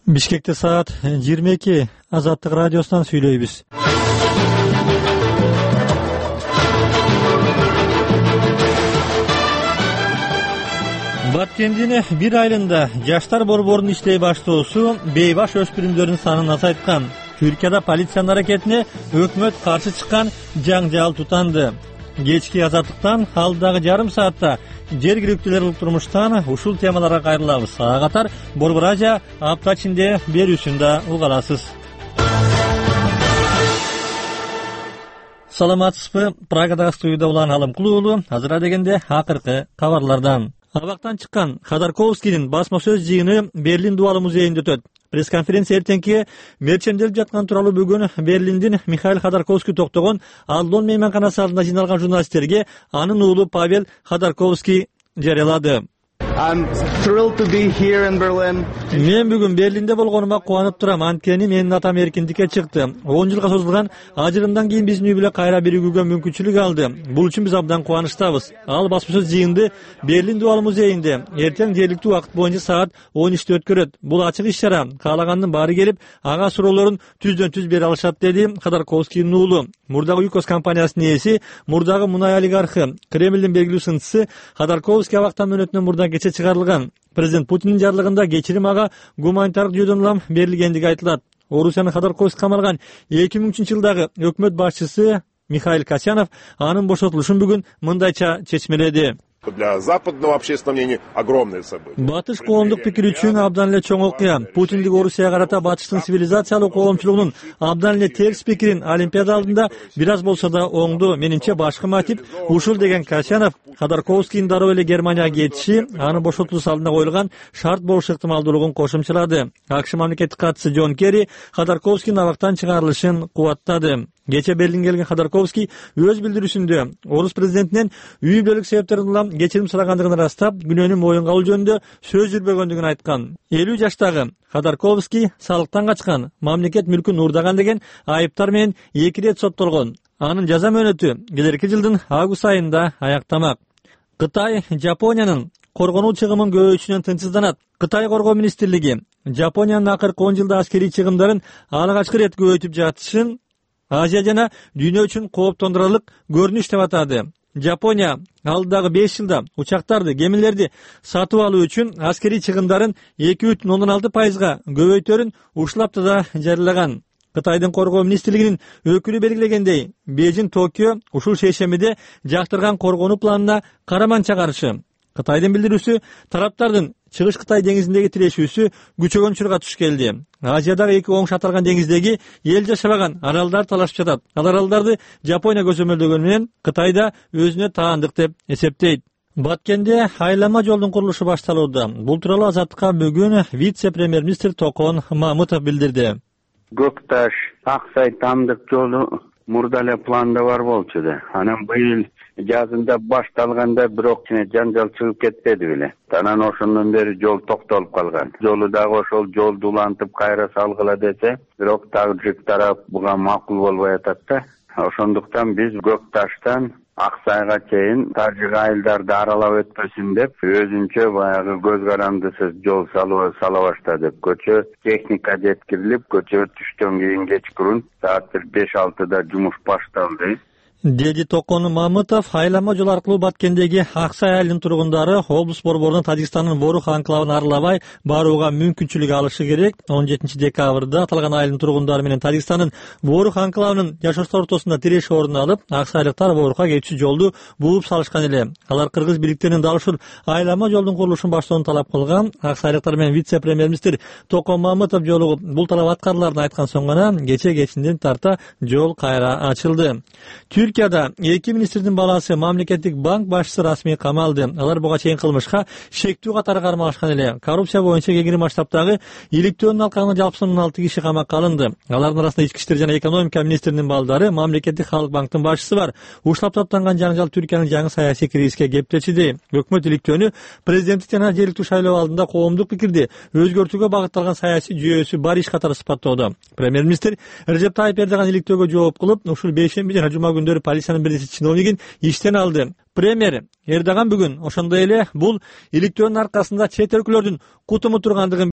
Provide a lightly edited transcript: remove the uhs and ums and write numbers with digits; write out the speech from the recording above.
Бишкекте саат 22. Азаттык радиосунан сүйлөйбүз. Баткендин бир айылында жаштар борборунун иштей баштоосу бейбаш өспүрүмдөрдүн санын азайткан. Түркияда полициянын аракетине өкмөт каршы чыккан жаңжал тутанды. Кечки азаттыктан алдагы жарым саатта жергиликтүүлөр турмуштан ушул темаларга кайрылабыз. Ага катар Борбор Азия апта ичинде берүүсүн да уга аласыз. Саламатсызбы? Прагадагы студияда Улан Алымкулуулу. Азыр дегенде акыркы кабарлардан. Абактан чыккан Ходорковскийдин басма сөз жыйыны Берлин Дубалы музейинде өтөт. Пресс-конференция эртеңки мерченделип жаткан тууралуу бүгүн Берлиндин Михаил Ходорковский токтогон Алдон мейманканасы алдында жыйналган журналисттерге анын уулу Павел Ходорковский жарыялады. Мен бүгүн Берлинде болгонума кубанып турам. Анткени менин атам эркиндикке чыкты. 10 жылга созулган ажырымдан кийин биздин үй бүлө кайра биригүүгө мүмкүнчүлүк алды. Бул үчүн биз абдан кубанычтабыз. Ал басма сөз жыйынды Берлин Дубалы музейинде эртең жергиликтүү убакыт боюнча саат 13-те өткөрөт. Бул ачык иш-чара. Каалагандын баары келип, ага суроолорун түздөн түз бере алышат, деди Ходорковскийдин уулу. Мурдагы ЮКОС компаниясынын ээси, мурдагы мунай олигархы, Кремлдин белгилүү сынчысы Ходорковский абактан мөөнөтүнөн мурда кече чыгарылган. Президент Путиндин жарлыгында кечирим ага гуманитардык жүйөдөн улам берилгендиги айтылат. Орусиянын Ходорковский камалган 2003-жылдагы өкмөт башчысы Михаил Касьянов анын бошотулушун бүгүн мындайча чечмеледи. Для западного общественного мнения огромное событие. Батыш коомдук пикир үчүн абдан эле чоң окуя. Путиндик Орусияга карата батыштын цивилизациялык коомчулугунун абдан эле терс пикирин Олимпиада алдында бир аз болсо да оңду. Менимче башкы мотив ушул, деген Касьянов. Ходорковскийдин дароо эле Германияга кетиши анын бошотулуусу алдында коюлган шарт болуш ыктымалдуулугун кошумчалады. АКШ мамлекеттик катчысы Джон Керри Ходорковскийдин абактан чыгарылышын кубаттады. Кече Берлинге келген Ходорковский өз билдирүүсүндө орус президентинен үй бүлөлүк себептерден улам кечирим сурагандыгын ырастап, күнөөнү моюнга алуу жөнүндө сөз жүрбөгөндүгүн айткан. 50 жаштагы Ходорковский салыктан качкан, мамлекет мүлкүн уурдаган деген айыптар менен 2 рет соттолгон. Анын жаза мөөнөтү келерки жылдын август айында аяктамак. Кытай Жапониянын коргонуу чыгымын көбөйтүүнөн тынчсызданат. Кытай коргоо министрлиги Жапониянын акыркы 10 жылда аскерий чыгымдарын алгачкы рет көбөйтүп жатышын Азия жана дүйнө үчүн кооптондурарлык көрүнүш деп атады. Жапония алдагы 5 жылда учактарды, гемилерди сатып алуу үчүн аскерий чыгымдарын 2,6% көбөйтөрүн ушул аптада жарыялаган. Кытайдын коргоо министрлигинин өкүлү белгилегендей, Бейжиң Токио ушул шейшембиде жактырган коргонуу планына караман чыгарышы. Кытайдын билдирүүсү тараптардын Чыгыш Кытай деңизиндеги тирешүүсү күчөгөн учурга туш келди. Азиядагы эки оң шатырган деңиздеги эл жашабаган аралдар талашып жатат. Ал аралдарды Жапония көзөмөлдөгөнү менен Кытайда өзүнө таандык деп эсептейт. Баткенде айлама жолдун курулушу башталууда. Бул тууралуу Азаттыкка бүгүн вице-премьер-министр Токон Мамытов билдирди. Көкташ Аксай Тамдык жолу мурда эле планда бар болчу да. Анан быйыл жазында башталганда бирок жаңжал чыгып кетпеди беле. Анан ошондон бери жол токтолуп калган. Жолу дагы ошол жолду улантып кайра салгыла десе, бирок тажик тарап буга макул болбой атат да. Ошондуктан биз Көкташтан Аксайга чейин тажик айылдарды аралап өтпөсүн деп өзүнчө баягы көз карандысыз жол сала баштадык. Көчө техника жеткирилип, көчө түштөн кийин кечкурун саат 5-6да жумуш башталды. Деди Токон Мамытов. Айлама жол аркылуу Баткендеги Аксай айылынын тургундары облус борборунун Тажикстандын Борух анклавын аралабай барууга мүмкүнчүлүк алышы керек. 17 декабрда аталган айылдын тургундары менен Тажикстандын Борух анклавынын жашоочулар ортосунда тиреш орун алып, аксайлыктар Борухка кетүүчү жолду бууп салышкан эле. Алар кыргыз бийликтеринин дал ушул айлама жолдун курулушун баштоону талап кылган. Аксайлыктар менен вице-премьер-министр Токон Мамытов жолугуп бул талап аткарыларын айткан соң гана кечинден тарта жол кайра ачылды. Түркияда эки министрдин баласы мамлекеттик банк башчысы расмий камалды. Алар буга чейин кылмышка шектүү катары кармалышкан эле. Коррупция боюнча кеңири масштабтагы иликтөөнүн алкагында жалпысынан 16 киши камакка алынды. Алардын арасында ички иштер жана экономика министринин балдары, мамлекеттик халык банктын башчысы бар. Ушул таптанган жаңжал Түркиянын жаңы саясий кризиске кептечиди. Өкмөт иликтөөнү президенттик жана жергиликтүү шайлоо алдында коомдук пикирди өзгөртүүгө багытталган саясий жүйөсү бар иш катары сыпаттоодо. Премьер-министр Режеп Тайип Эрдоган иликтөөгө жооп кылып, ушул бейшемби жана жума күндөрү полициянын бир чиновнигин иштен алды. Премьер Эрдоган бүгүн ошондой эле бул иликтөөнүн аркасында чет өлкөлөрдүн кутуму тургандыгын